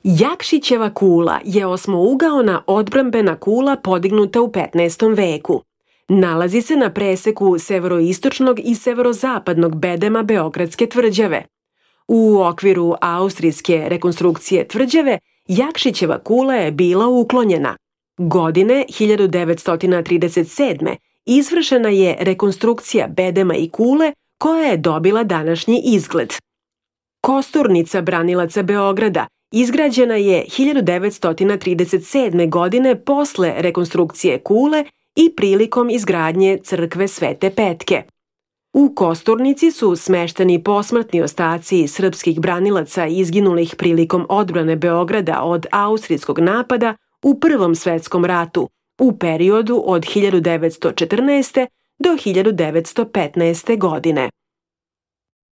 Jakšićeva kula je osmougaona odbrambena kula podignuta u 15. veku. Nalazi se na preseku severoistočnog i severozapadnog bedema Beogradske tvrđave. U okviru austrijske rekonstrukcije tvrđave, Jakšićeva kula je bila uklonjena. Godine 1937. izvršena je rekonstrukcija bedema i kule koja je dobila današnji izgled. Kosturnica branilaca Beograda izgrađena je 1937. godine posle rekonstrukcije kule i prilikom izgradnje crkve Svete Petke. U Kosturnici su smešteni posmrtni ostaci srpskih branilaca izginulih prilikom odbrane Beograda od austrijskog napada u Prvom svetskom ratu u periodu od 1914. do 1915. godine.